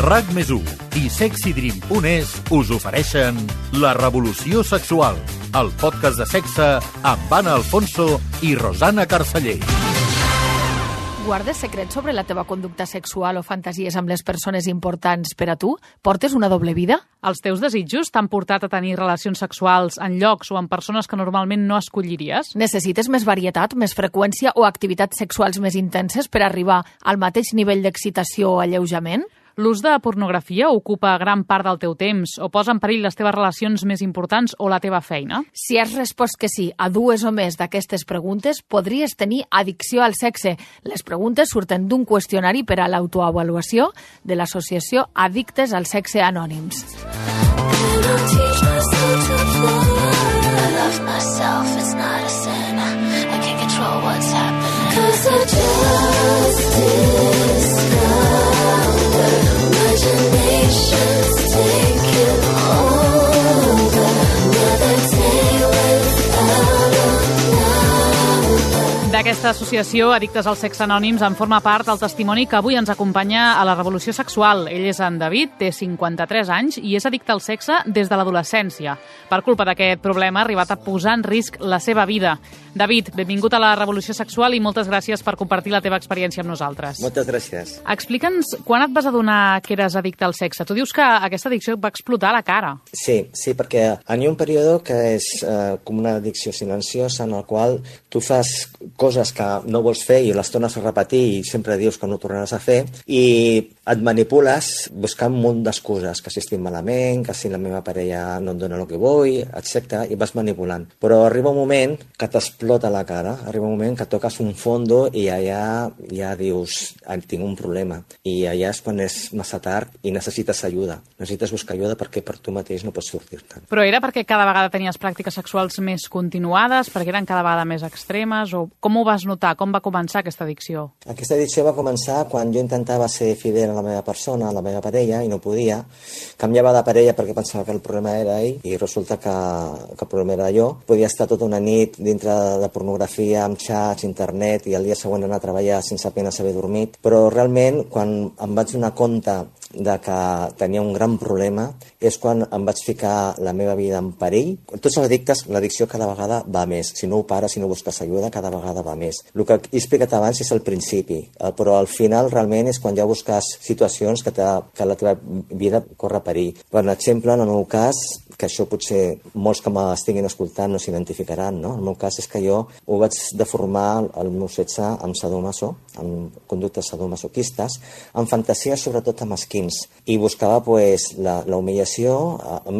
RAC+1 i SexyDream.es us ofereixen La Revolució Sexual, el podcast de sexe amb Anna Alfonso i Rosana Carceller. Guardes secrets sobre la teva conducta sexual o fantasies amb les persones importants per a tu? Portes una doble vida? Els teus desitjos t'han portat a tenir relacions sexuals en llocs o amb persones que normalment no escolliries? Necessites més varietat, més freqüència o activitats sexuals més intenses per arribar al mateix nivell d'excitació o alleujament? L'ús de pornografia ocupa gran part del teu temps o posa en perill les teves relacions més importants o la teva feina? Si has respost que sí a dues o més d'aquestes preguntes, podries tenir addicció al sexe. Les preguntes surten d'un qüestionari per a l'autoavaluació de l'associació Addictes al Sexe Anònims. D'aquesta associació, Addictes al Sexe Anònims, en forma part el testimoni que avui ens acompanya a la Revolució Sexual. Ell és en David, té 53 anys i és addicte al sexe des de l'adolescència. Per culpa d'aquest problema ha arribat a posar en risc la seva vida. David, benvingut a la Revolució Sexual i moltes gràcies per compartir la teva experiència amb nosaltres. Moltes gràcies. Explica'ns quan et vas adonar que eres addicte al sexe. Tu dius que aquesta addicció et va explotar a la cara. Sí, perquè hi ha un període que és com una addicció silenciosa en el qual tu fas coses que no vols fer i les tornes a repetir i sempre dius que no ho tornaràs a fer i et manipules buscant un munt d'excuses, que si estic malament, que si la meva parella no em dona el que vull, etc. i vas manipulant. Però arriba un moment que t'explota la cara, arriba un moment que toques un fondo i allà ja dius, tinc un problema. I allà és quan és massa tard i necessites ajuda. Necessites buscar ajuda perquè per tu mateix no pots sortir-te'n. Però era perquè cada vegada tenies pràctiques sexuals més continuades, perquè eren cada vegada més extremes, o com ho vas notar? Com va començar aquesta addicció? Aquesta addicció va començar quan jo intentava ser fidel a la meva persona, a la meva parella, i no podia. Canviava de parella perquè pensava que el problema era ell, i resulta que el problema era jo. Podia estar tota una nit dintre de pornografia, amb xats, internet, i el dia següent anar a treballar sense apenas haver dormit. Però realment, quan em vaig donar compte de que tenia un gran problema, és quan em vaig ficar la meva vida en perill. Tots els addictes, l'addicció cada vegada va més. Si no ho pares, si no busques ajuda, cada vegada va més. El que he explicat abans és el principi, però al final realment és quan ja busques situacions que la teva vida corre perill. Per exemple, en el meu cas, que això potser molts que m'estiguin escoltant no s'identificaran, no? El meu cas és que jo ho vaig deformar el meu sexe amb sadomaso, amb conductes sadomasoquistes, amb fantasies sobretot amb esquins, i buscava la humillació,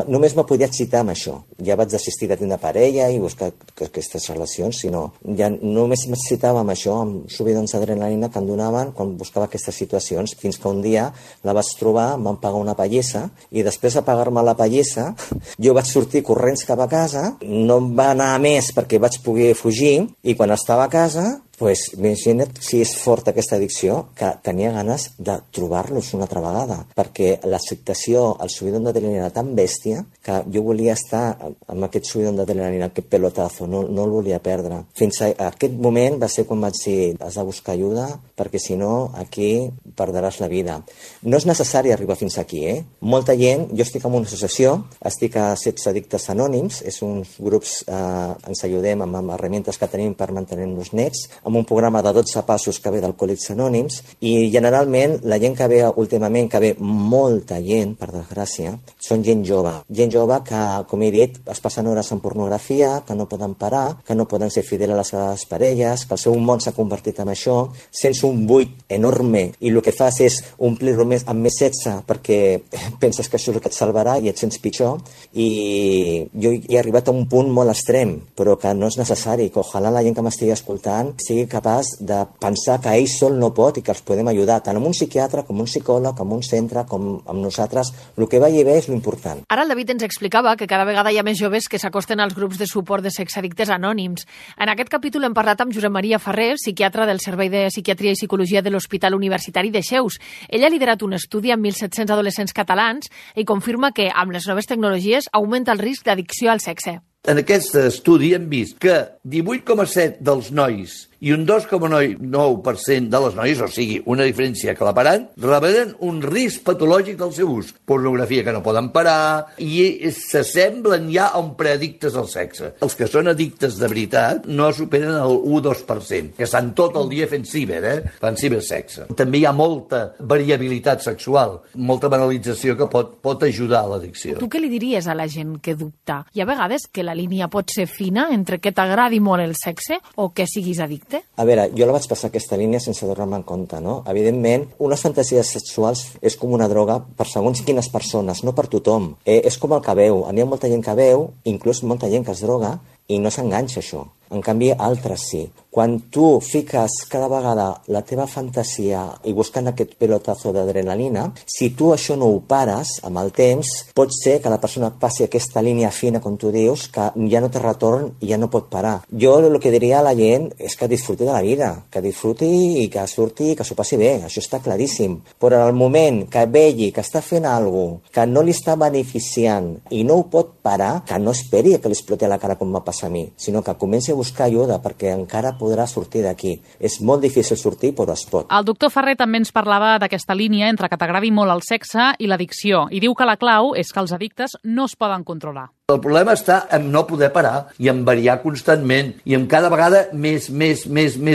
només me podia excitar amb això. Ja vaig desistir de tenir parella i buscar aquestes relacions, sinó ja només m'excitava amb això, amb subidons d'adrenalina que em donaven quan buscava aquestes situacions, fins que un dia la vaig trobar, em van pagar una pallissa, i després de pagar-me la pallissa jo vaig sortir corrents cap a casa, no em va anar més perquè vaig poder fugir, i quan estava a casa, imagina't si és forta aquesta addicció, que tenia ganes de trobar-los una altra vegada, perquè l'acceptació, el subidon d'adrenalina era tan bèstia que jo volia estar amb aquest subidon d'adrenalina, aquest pelotazo, no el volia perdre. Fins a aquest moment va ser quan vaig dir, has de buscar ajuda, perquè si no, aquí perdràs la vida. No és necessari arribar fins aquí, Molta gent, jo estic en una associació, estic a 16 Addictes Anònims, és uns grups, ens ajudem amb herramientes que tenim per mantenir-nos nets, amb un programa de 12 passos que ve d'Alcohòlics Anònims, i generalment la gent que ve últimament, que ve molta gent, per desgràcia, són gent jove que, com he dit, es passen hores en pornografia, que no poden parar, que no poden ser fidels a les seves parelles, que el seu món s'ha convertit en això, sents un buit enorme i el que fas és omplir-lo amb més sexe perquè penses que això és el que et salvarà i et sents pitjor, i jo he arribat a un punt molt extrem, però que no és necessari, que ojalà la gent que m'estigui escoltant sigui capaç de pensar que ell sol no pot i que els podem ajudar, tant amb un psiquiatre, com un psicòleg, com un centre, com amb nosaltres. El que vagi bé és l'important. Ara el David ens explicava que cada vegada hi ha més joves que s'acosten als grups de suport de sexaddictes anònims. En aquest capítol hem parlat amb Josep Maria Ferrer, psiquiatre del Servei de Psiquiatria i Psicologia de l'Hospital Universitari de Xeus. Ell ha liderat un estudi amb 1.700 adolescents catalans i confirma que amb les noves tecnologies augmenta el risc d'addicció al sexe. En aquest estudi hem vist que 18,7 dels nois i un 2,9% de les noies, o sigui, una diferència aclaparant, revelen un risc patològic del seu ús. Pornografia que no poden parar i s'assemblen ja a un preaddictes al sexe. Els que són addictes de veritat no superen el 1-2%, que estan tot el dia fent fan cibersexe. També hi ha molta variabilitat sexual, molta banalització que pot ajudar a l'addicció. Tu què li diries a la gent que dubta? Hi ha vegades que la línia pot ser fina entre que t'agradi molt el sexe o que siguis addicte? A veure, jo la vaig passar aquesta línia sense donar-me en compte, no? Evidentment, unes fantasies sexuals és com una droga per segons quines persones, no per tothom. És com el que veu. N'hi ha molta gent que veu, inclús molta gent que es droga, i no s'enganxa això. En canvi, altres sí. Quan tu fiques cada vegada la teva fantasia i buscant aquest pelotazo d'adrenalina, si tu això no ho pares amb el temps, pot ser que la persona passi aquesta línia fina, com tu dius, que ja no té retorn i ja no pot parar. Jo el que diria a la gent és que disfruti de la vida, que disfruti i que surti i que s'ho passi bé, això està claríssim. Però en el moment que vegi que està fent alguna cosa que no li està beneficiant i no ho pot parar, que no esperi que li exploti a la cara com va passar a mi, sinó que comenci a buscar ajuda perquè encara podrà sortir d'aquí. És molt difícil sortir, però es pot. El doctor Ferrer també ens parlava d'aquesta línia entre que t'agradi molt el sexe i l'addicció, i diu que la clau és que els addictes no es poden controlar. El problema està en no poder parar i en variar constantment i en cada vegada més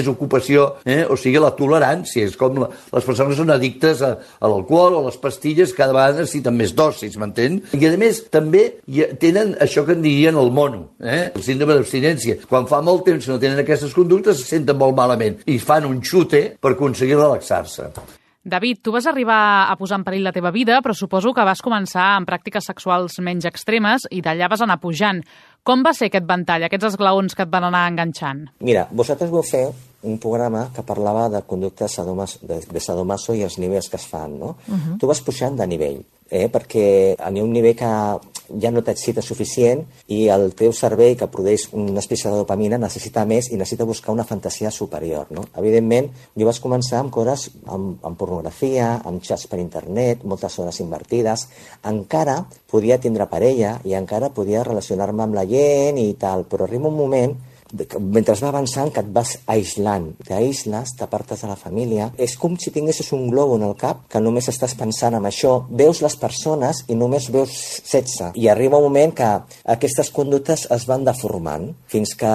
ocupació, o sigui, la tolerància. És com les persones que són addictes a l'alcohol o a les pastilles, cada vegada necessiten més dosis, m'entén? I a més també tenen això que en dirien el mono, el síndrome d'abstinència. Quan fa molt temps que no tenen aquestes conductes se senten molt malament i fan un xute per aconseguir relaxar-se. David, tu vas arribar a posar en perill la teva vida, però suposo que vas començar amb pràctiques sexuals menys extremes i d'allà vas anar pujant. Com va ser aquest ventall, aquests esglaons que et van anar enganxant? Mira, vosaltres vau fer un programa que parlava de conductes de sadomaso i els nivells que es fan, no? Tu vas pujant de nivell, perquè hi ha un nivell que ja no t'excita suficient i el teu cervell, que produeix una espècie de dopamina, necessita més i necessita buscar una fantasia superior, no? Evidentment, jo vaig començar amb coses amb pornografia, amb xats per internet, moltes hores invertides. Encara podia tindre parella i encara podia relacionar-me amb la gent i tal, però arriba un moment mentre va avançant que et vas aïslant, t'aïsles, t'apartes de la família. És com si tinguessis un globo en el cap que només estàs pensant en això, veus les persones i només veus sexe, i arriba un moment que aquestes conductes es van deformant fins que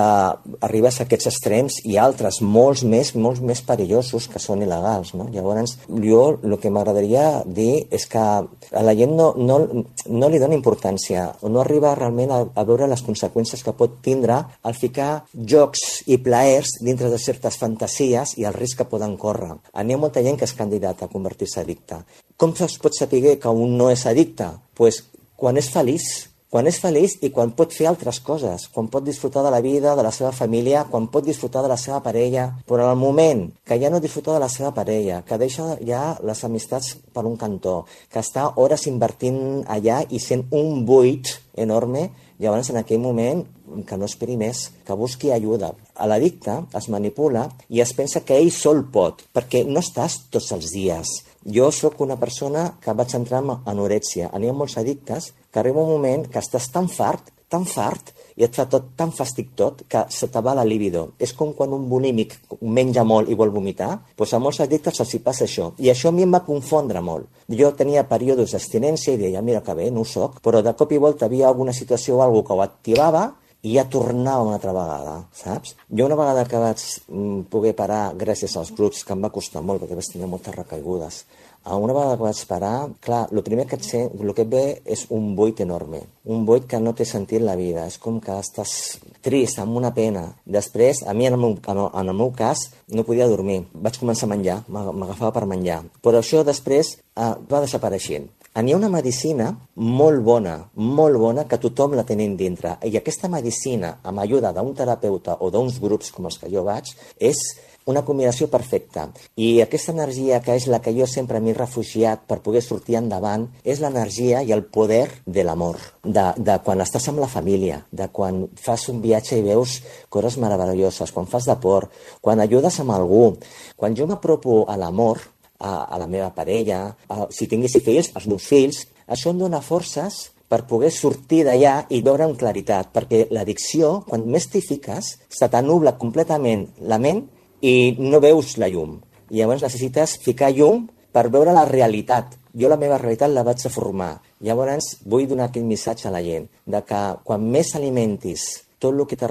arribes a aquests extrems i altres molts més perillosos que són il·legals, no? Llavors jo el que m'agradaria dir és que a la gent no li dona importància o no arriba realment a veure les conseqüències que pot tindre al ficar jocs i plaers dintre de certes fantasies i el risc que poden córrer. N'hi ha molta gent que és candidat a convertir-se addicte. Com es pot saber que un no és addicte? Pues quan és feliç i quan pot fer altres coses, quan pot disfrutar de la vida, de la seva família, quan pot disfrutar de la seva parella, però en el moment que ja no disfruta de la seva parella, que deixa ja les amistats per un cantó, que està hores invertint allà i sent un buit enorme, llavors en aquell moment que no esperi més, que busqui ajuda. L'addicte es manipula i es pensa que ell sol pot, perquè no estàs tots els dies. Jo sóc una persona que vaig entrar en anorèxia. N'hi ha molts addictes que arriba un moment que estàs tan fart, i et fa tot tan fàstic tot que se te va la libido. És com quan un bulímic menja molt i vol vomitar, doncs a molts addictes els hi passa això. I això a mi em va confondre molt. Jo tenia períodes d'abstinència i deia, mira que bé, no ho soc, però de cop i volta havia alguna situació o alguna que ho activava i ja tornava una altra vegada, saps? Jo una vegada que vaig poder parar, gràcies als grups, que em va costar molt, perquè vaig tenir moltes recaigudes, una vegada que vaig parar, clar, el primer que et ve és un buit enorme, un buit que no té sentit la vida, és com que estàs trist, amb una pena. Després, a mi en el meu cas, no podia dormir, vaig començar a menjar, m'agafava per menjar, però això després va desapareixent. Hi ha una medicina molt bona, que tothom la tenim dintre. I aquesta medicina, amb ajuda d'un terapeuta o d'uns grups com els que jo vaig, és una combinació perfecta. I aquesta energia, que és la que jo sempre m'he refugiat per poder sortir endavant, és l'energia i el poder de l'amor. De quan estàs amb la família, de quan fas un viatge i veus coses meravelloses, quan fas d'esport, quan ajudes amb algú. Quan jo m'apropo a l'amor, a la meva parella, si tinguessi fills, als meus fills, això em dona forces per poder sortir d'allà i veure amb claritat, perquè l'addicció, quan més t'hi fiques, se t'anubla completament la ment i no veus la llum. I llavors necessites ficar llum per veure la realitat. Jo la meva realitat la vaig a formar. Llavors vull donar aquest missatge a la gent, de que quan més alimentis tot el que te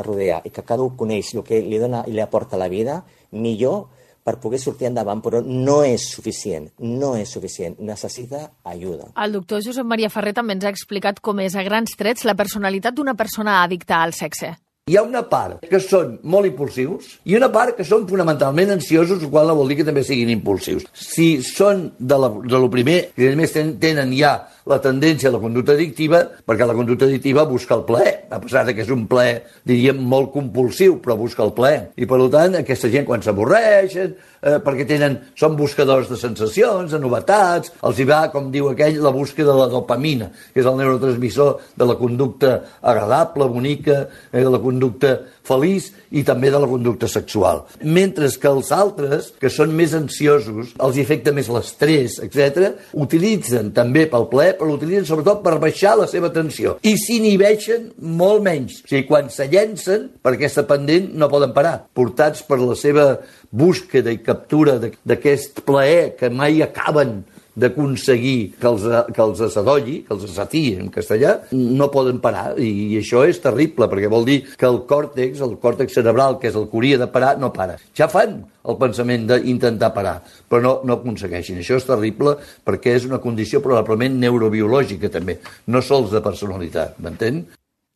rodea i que cada un coneix el que li dona i li aporta la vida, millor per poder sortir endavant, però no és suficient, necessita ajuda. El doctor Josep Maria Ferrer també ens ha explicat com és a grans trets la personalitat d'una persona addicta al sexe. Hi ha una part que són molt impulsius i una part que són fonamentalment ansiosos, el qual no vol dir que també siguin impulsius. Si són de lo primer, que a més tenen ja la tendència a la conducta addictiva, perquè la conducta addictiva busca el plaer, a pesar que és un plaer, diríem, molt compulsiu, però busca el plaer. I, per tant, aquesta gent, quan s'avorreixen, perquè són buscadors de sensacions, de novetats, els hi va, com diu aquell, la búsqueda de la dopamina, que és el neurotransmissor de la conducta agradable, bonica, de la conducta feliç i també de la conducta sexual. Mentre que els altres, que són més ansiosos, els afecta més l'estrès, etc., utilitzen també pel plaer, però l'utilitzen sobretot per baixar la seva tensió. I s'inhibeixen molt menys. O sigui, quan se llencen, per aquesta pendent no poden parar. Portats per la seva búsqueda i captura d'aquest plaer que mai acaben d'aconseguir que els assadolli, que els assatiï en castellà, no poden parar. I això és terrible, perquè vol dir que el còrtex cerebral, que és el que hauria de parar, no para. Ja fan el pensament d'intentar parar, però no aconsegueixen. Això és terrible perquè és una condició probablement neurobiològica també, no sols de personalitat, m'entén?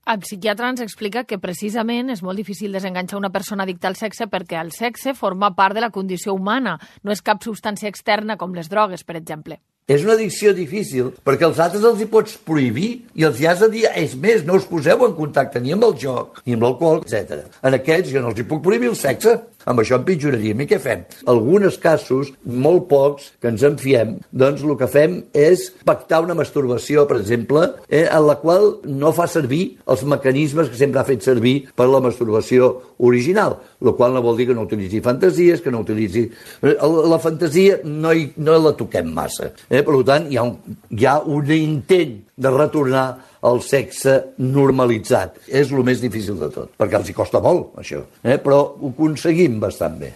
El psiquiatre ens explica que precisament és molt difícil desenganxar una persona addicta al sexe perquè el sexe forma part de la condició humana, no és cap substància externa com les drogues, per exemple. És una addicció difícil, perquè els altres els hi pots prohibir i els hi has de dir, és més, no us poseu en contacte ni amb el joc, ni amb l'alcohol, etc. En aquests jo no els hi puc prohibir el sexe, amb això empitjoraríem. I què fem? Alguns casos, molt pocs, que ens en fiem, doncs el que fem és pactar una masturbació, per exemple, en la qual no fa servir els mecanismes que sempre ha fet servir per la masturbació original, el qual no vol dir que no utilitzi fantasies, que no utilitzi... La fantasia no la toquem massa. Per tant, hi ha un intent de retornar al sexe normalitzat. És el més difícil de tot, perquè els hi costa molt, això. Però ho aconseguim bastant bé.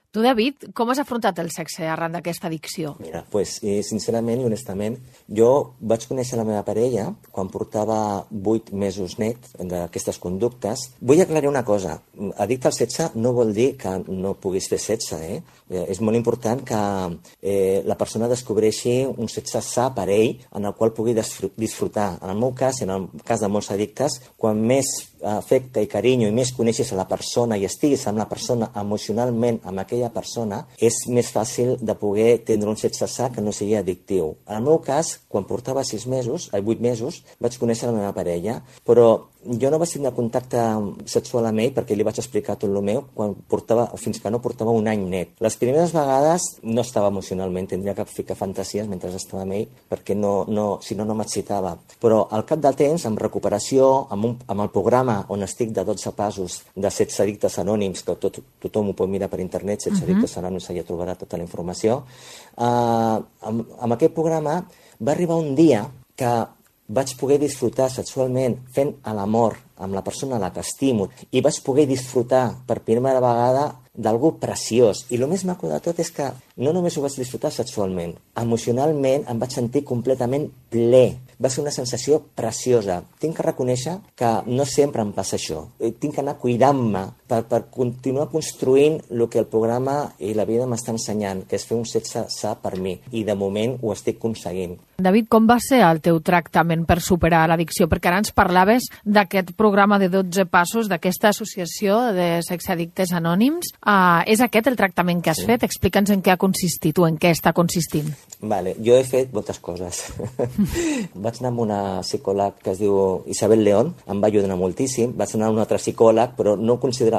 Tu, David, com has afrontat el sexe arran d'aquesta addicció? Mira, sincerament i honestament, jo vaig conèixer la meva parella quan portava 8 mesos net d'aquestes conductes. Vull aclarir una cosa. Addicte al sexe no vol dir que no puguis fer sexe, És molt important que la persona descobreixi un sexe sa per ell, en el qual pugui disfrutar. En el meu cas, i en el cas de molts addictes, quan més afecte i carinyo i més coneixes a la persona i estiguis amb la persona emocionalment amb aquella persona, és més fàcil de poder tindre un sexe sa que no sigui addictiu. En el meu cas, quan portava 8 mesos, vaig conèixer la meva parella, però jo no vaig tindre contacte sexual amb ell perquè li vaig explicar tot el meu fins que no portava un any net. Les primeres vegades no estava emocionalment, tindria que ficar fantasies mentre estava amb ell perquè si no m'excitava. Però al cap del temps, amb recuperació, amb el programa on estic de 12 passos de sexe addictes anònims, que tothom ho pot mirar per internet, sexe addictes anònims, allà trobarà tota la informació, amb aquest programa va arribar un dia que vaig poder disfrutar sexualment fent l'amor amb la persona a la que estimo i vaig poder disfrutar per primera vegada d'algú preciós. I el més maco de tot és que no només ho vaig disfrutar sexualment, emocionalment em vaig sentir completament ple. Va ser una sensació preciosa. Tinc que reconèixer que no sempre em passa això. Tinc que anar cuidant-me per continuar construint el que el programa i la vida m'està ensenyant, que és fer un sexe sa per mi. I de moment ho estic aconseguint. David, com va ser el teu tractament per superar l'addicció? Perquè ara ens parlaves d'aquest programa de 12 passos, d'aquesta associació de sexaddictes anònims. És aquest el tractament que has fet? Explica'ns en què ha consistit o en què està consistint. Vale, jo he fet moltes coses. Vaig anar amb una psicòleg que es diu Isabel León, em va ajudar moltíssim. Vaig anar a un altre psicòleg, però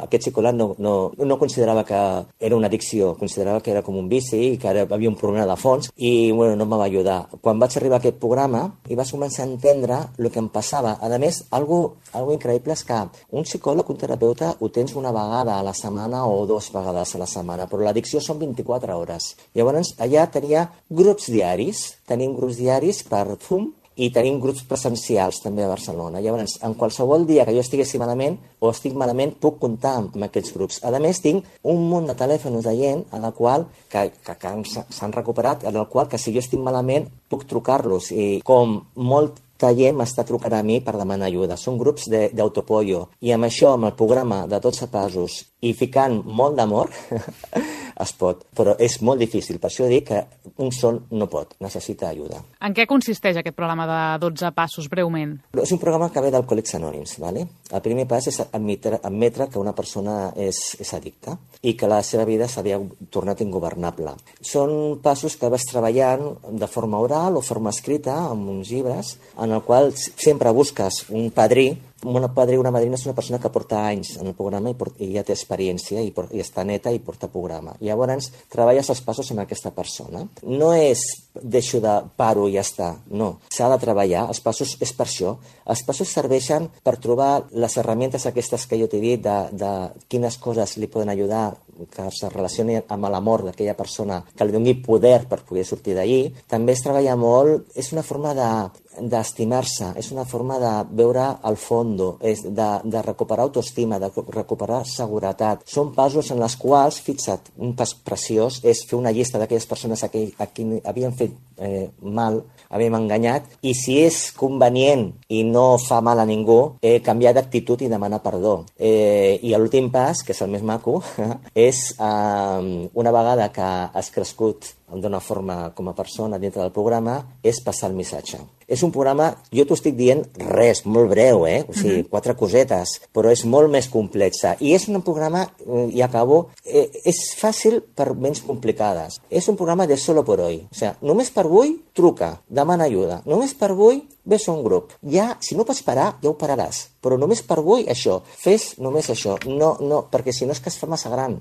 aquest psicòleg no considerava que era una addicció, considerava que era com un vici i que havia un problema de fons i no em va ajudar. Quan vaig arribar a aquest programa i vaig començar a entendre el que em passava. A més, algo increïble és que un psicòleg, un terapeuta, ho tens una vegada a la setmana o 2 vegades a la setmana, però l'addicció són 24 hores. Llavors, allà tenim grups diaris per fum i tenim grups presencials també a Barcelona. Llavors, en qualsevol dia que jo estiguessi malament o estic malament, puc comptar amb aquests grups. A més, tinc un munt de telèfons de gent a la qual que s'han recuperat, en el qual que si jo estic malament puc trucar-los, i com molta gent m'està trucant a mi per demanar ajuda. Són grups d'autopollo, i amb això, amb el programa de 12 passos i ficant molt d'amor, es pot, però és molt difícil. Per això dic que un sol no pot, necessita ajuda. En què consisteix aquest programa de 12 passos, breument? És un programa que ve d'Alcohòlics Anònims, ¿vale? El primer pas és admetre que una persona és addicta i que la seva vida s'havia tornat ingovernable. Són passos que vas treballant de forma oral o forma escrita, amb uns llibres, en el qual sempre busques un padrí. Un padrí o una madrina és una persona que porta anys en el programa i ja té experiència i està neta i porta programa. Llavors, treballes els passos amb aquesta persona. No és deixo de paro i ja està, no. S'ha de treballar, els passos és per això. Els passos serveixen per trobar les herramientes aquestes que jo t'he dit, de quines coses li poden ajudar, que es relacioni amb l'amor d'aquella persona, que li doni poder per poder sortir d'allí. També es treballa molt, és una forma d'estimar-se, és una forma de veure al fondo, de recuperar autoestima, de recuperar seguretat. Són passos en els quals, fixa't, un pas preciós és fer una llista d'aquelles persones a qui havien fet mal, havíem enganyat, i si és convenient i no fa mal a ningú, canviar d'actitud i demanar perdó. I l'últim pas, que és el més maco, és una vegada que has crescut d'una forma com a persona dintre del programa, és passar el missatge. És un programa, jo t'ho estic dient res, molt breu, o sigui, 4 cosetes, però és molt més complexa. I és un programa, i acabo, és fàcil per menys complicades. És un programa de solo por hoy. O sigui, només per avui, truca, demana ajuda. Només per avui, ves a un grup. Ja, si no pots parar, ja ho pararàs. Però només per avui, això. Fes només això. No, perquè si no és que es fa massa gran.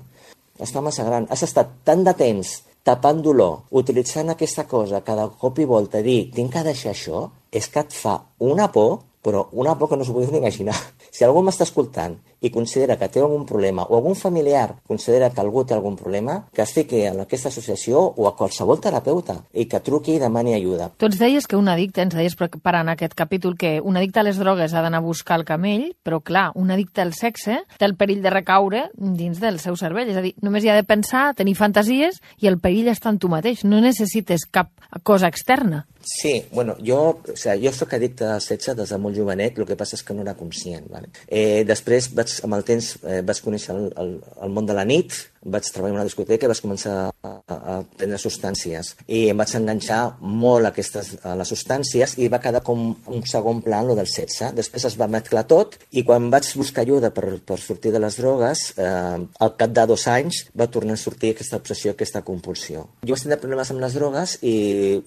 Es fa massa gran. Has estat tant de temps tapant dolor, utilitzant aquesta cosa cada cop i volta, dir, tinc que deixar això, és que et fa una por, però una por que no s'ho podeu ni imaginar. Si algú m'està escoltant i considera que té algun problema, o algun familiar considera que algú té algun problema, que es fiqui en aquesta associació o a qualsevol terapeuta i que truqui i demani ajuda. Tu ens deies que un addicte, ens deies preparant aquest capítol, que un addicte a les drogues ha d'anar a buscar el camell, però clar, un addicte al sexe té el perill de recaure dins del seu cervell. És a dir, només hi ha de pensar, tenir fantasies, i el perill està en tu mateix. No necessites cap cosa externa. Sí, bueno, jo soc addicte al sexe des de molt jovenet, el que passa és que no era conscient. Vale? Després, amb el temps, vaig conèixer el món de la nit, vaig treballar en una discoteca i vaig començar a prendre substàncies. I em vaig enganxar molt a les substàncies i va quedar com un segon plan lo del sexe. Després es va mesclar tot i quan vaig buscar ajuda per sortir de les drogues, al cap de 2 anys va tornar a sortir aquesta obsessió, aquesta compulsió. Jo vaig tenir problemes amb les drogues i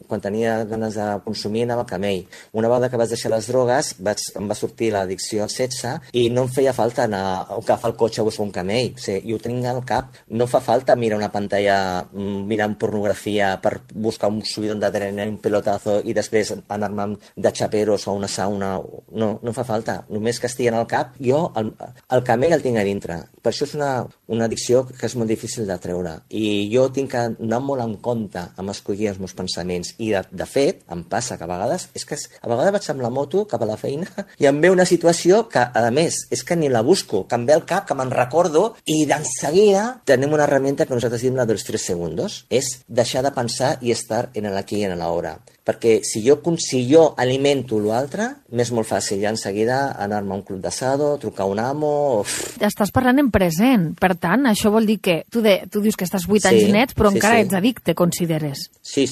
quan tenia ganes de consumir anava a camell. Una vegada que vaig deixar les drogues em va sortir l'addicció al sexe i no em feia falta anar a agafar el cotxe a buscar un camell. O sigui, jo ho tinc al cap. No fa falta mirar una pantalla mirant pornografia per buscar un subidón d'adrenalina, un pelotazo i després anar-me de xaperos a una sauna. No fa falta. Només que estigui en el cap, jo el camell el tinc a dintre. Per això és una addicció que és molt difícil de treure. I jo tinc que anar molt en compte amb escollir els meus pensaments. I de fet, em passa que a vegades vaig amb la moto cap a la feina i em ve una situació que, a més, és que ni la busco, que em ve al cap, que me'n recordo i d'enseguida tenim una herramienta que nosaltres diem la dels 3 segundos. És deixar de pensar i estar en l'aquí i en l'hora. Perquè si jo alimento l'altre, m'és molt fàcil ja enseguida anar-me a un club d'assado, trucar a un amo... Estàs parlant en present. Per tant, això vol dir que tu dius que estàs 8 anys nets, però encara ets addicte, consideres. Sí.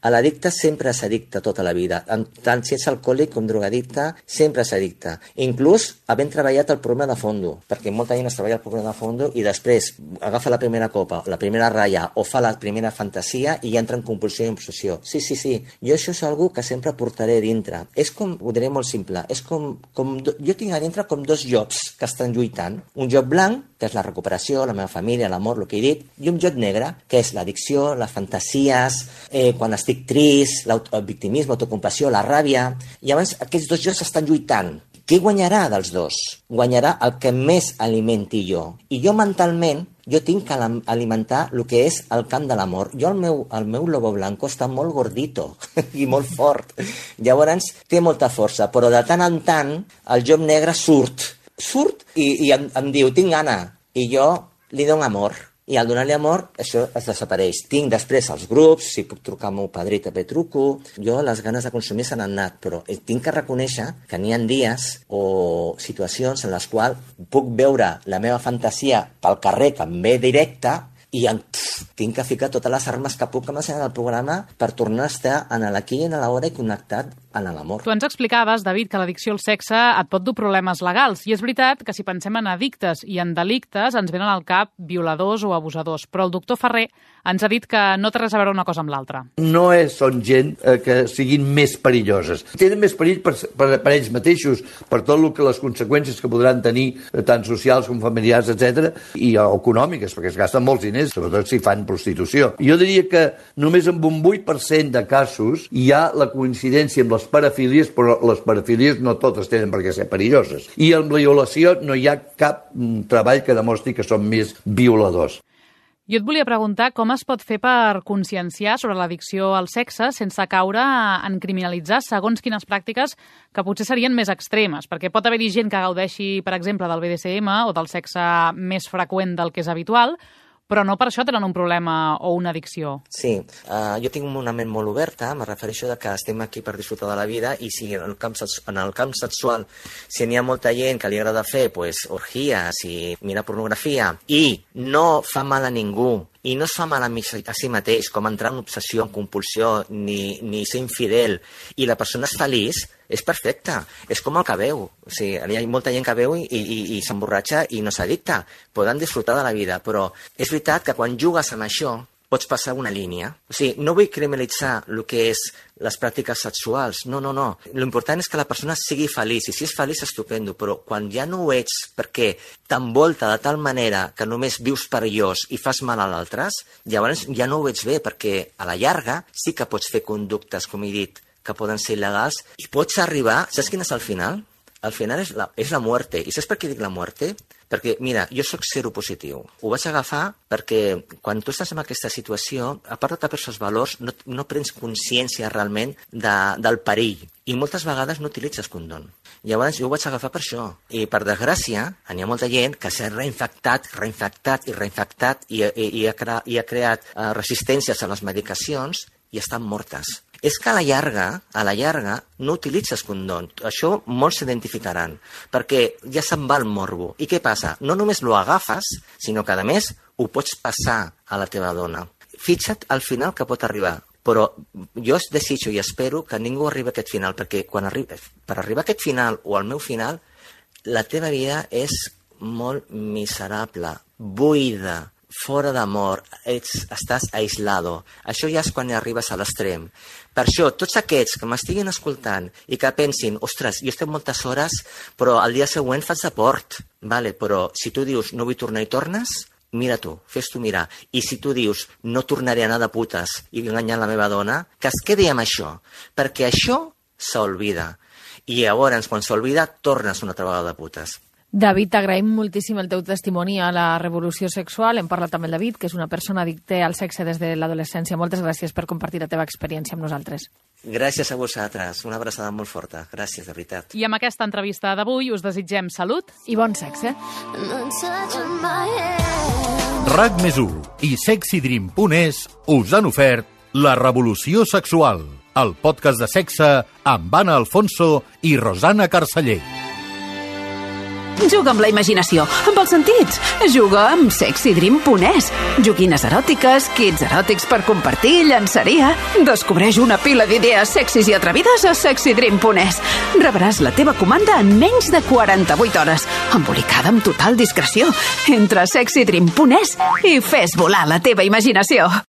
L'addicte sempre és addicte tota la vida. Tant si ets alcohòlic com drogadicte, sempre és addicte. Inclús havent treballat el problema de fondo, perquè molta gent es treballa el problema de fondo i després agafa la primera copa, la primera ratlla o fa la primera fantasia i entra en compulsió i obsessió. Sí. Jo això és algo que sempre portaré dintre. És com, ho diré molt simple, és com jo tinc a dintre com 2 jocs que estan lluitant. Un joc blanc, que és la recuperació, la meva família, l'amor, el que he dit, i un joc negre, que és l'addicció, les fantasies, quan estic trist, el victimisme, autocompassió, la ràbia. I llavors aquests 2 jocs estan lluitant. Qui guanyarà dels dos? Guanyarà el que més alimenti jo. I jo mentalment, jo tinc que alimentar el que és el camp de l'amor. Jo, el meu lobo blanco està molt gordito i molt fort. Llavors, té molta força, però de tant en tant el llop negre surt i em diu, tinc gana. I jo li dono amor. I al donar-li amor, això es desapareix. Tinc després els grups, si puc trucar al meu padrí també truco. Jo les ganes de consumir se n'han anat, però tinc que reconèixer que n'hi ha dies o situacions en les quals puc veure la meva fantasia pel carrer que em ve directa i tinc que ficar totes les armes que puc en el programa per tornar a estar en l'aquí i en l'hora i connectat en l'amor. Tu ens explicaves, David, que l'addicció al sexe et pot dur problemes legals. I és veritat que si pensem en addictes i en delictes ens venen al cap violadors o abusadors. Però el doctor Ferrer ens ha dit que no té res a veure una cosa amb l'altra. No són gent que siguin més perilloses. Tenen més perill per ells mateixos, per tot el que les conseqüències que podran tenir, tant socials com familiars, etc i econòmiques, perquè es gasten molts diners, sobretot si fan prostitució. Jo diria que només amb un 8% de casos hi ha la coincidència amb les parafílies, però les parafílies no totes tenen per què ser perilloses. I amb la violació no hi ha cap treball que demostri que són més violadors. Jo et volia preguntar com es pot fer per conscienciar sobre l'addicció al sexe sense caure en criminalitzar segons quines pràctiques que potser serien més extremes, perquè pot haver-hi gent que gaudeixi, per exemple, del BDSM o del sexe més freqüent del que és habitual, però no per això tenen un problema o una addicció. Sí, jo tinc una ment molt oberta, me refereixo que estem aquí per disfrutar de la vida i si en el camp sexual si n'hi ha molta gent que li agrada fer orgies i mirar pornografia i no fa mal a ningú i no es fa mal a si mateix com entrar en obsessió, en compulsió ni ser infidel i la persona és feliç, és perfecte, és com el que veu. O sigui, hi ha molta gent que veu i s'emborratxa i no s'addicta. Poden disfrutar de la vida, però és veritat que quan jugues amb això pots passar una línia. O sigui, no vull criminalitzar el que és les pràctiques sexuals, no. L'important és que la persona sigui feliç, i si és feliç, estupendo, però quan ja no ho ets perquè t'envolta de tal manera que només vius perillós i fas mal a l'altres, llavors ja no ho veig bé, perquè a la llarga sí que pots fer conductes, com he dit, que poden ser il·legals, i pots arribar... Saps quin és el final? El final és la muerte. I saps per què dic la muerte? Perquè, mira, jo sóc seropositiu. Ho vaig agafar perquè quan tu estàs en aquesta situació, a part de tapar-se els valors, no prens consciència realment del perill. I moltes vegades no utilitzes condom. Llavors jo ho vaig agafar per això. I per desgràcia, hi ha molta gent que s'ha reinfectat i ha creat resistències a les medicacions i estan mortes. És que a la llarga, no utilitzes condom. Això molts s'identificaran, perquè ja se'n va el morbo. I què passa? No només lo agafes, sinó que, a més, ho pots passar a la teva dona. Fixa't al final que pot arribar. Però jo desitjo i espero que ningú arribi a aquest final, perquè per arribar a aquest final o al meu final, la teva vida és molt miserable, buida, fora d'amor, estàs aislado. Això ja és quan arribes a l'extrem. Per això, tots aquests que m'estiguin escoltant i que pensin, ostres, jo estic moltes hores, però al dia següent faig deport. Vale, però si tu dius, no vull tornar i tornes, mira tu, fes-t'ho mirar. I si tu dius, no tornaré a anar de putes i enganyar la meva dona, que es quedi amb això, perquè això s'olvida. I llavors, quan s'olvida, tornes una altra vegada de putes. David, t'agraïm moltíssim el teu testimoni a la revolució sexual. Hem parlat amb el David, que és una persona addicta al sexe des de l'adolescència. Moltes gràcies per compartir la teva experiència amb nosaltres. Gràcies a vosaltres. Una abraçada molt forta. Gràcies, de veritat. I amb aquesta entrevista d'avui us desitgem salut i bon sexe. RAC+1 i sexydream.es us han ofert La revolució sexual, el podcast de sexe amb Anna Alfonso i Rosana Carceller. Juga amb la imaginació, amb els sentits. Juga amb sexydream.es. Joguines eròtiques, kits eròtics per compartir, llançaria. Descobreix una pila d'idees sexis i atrevides a sexydream.es. Rebràs la teva comanda en menys de 48 hores, embolicada amb total discreció. Entra a sexydream.es i fes volar la teva imaginació.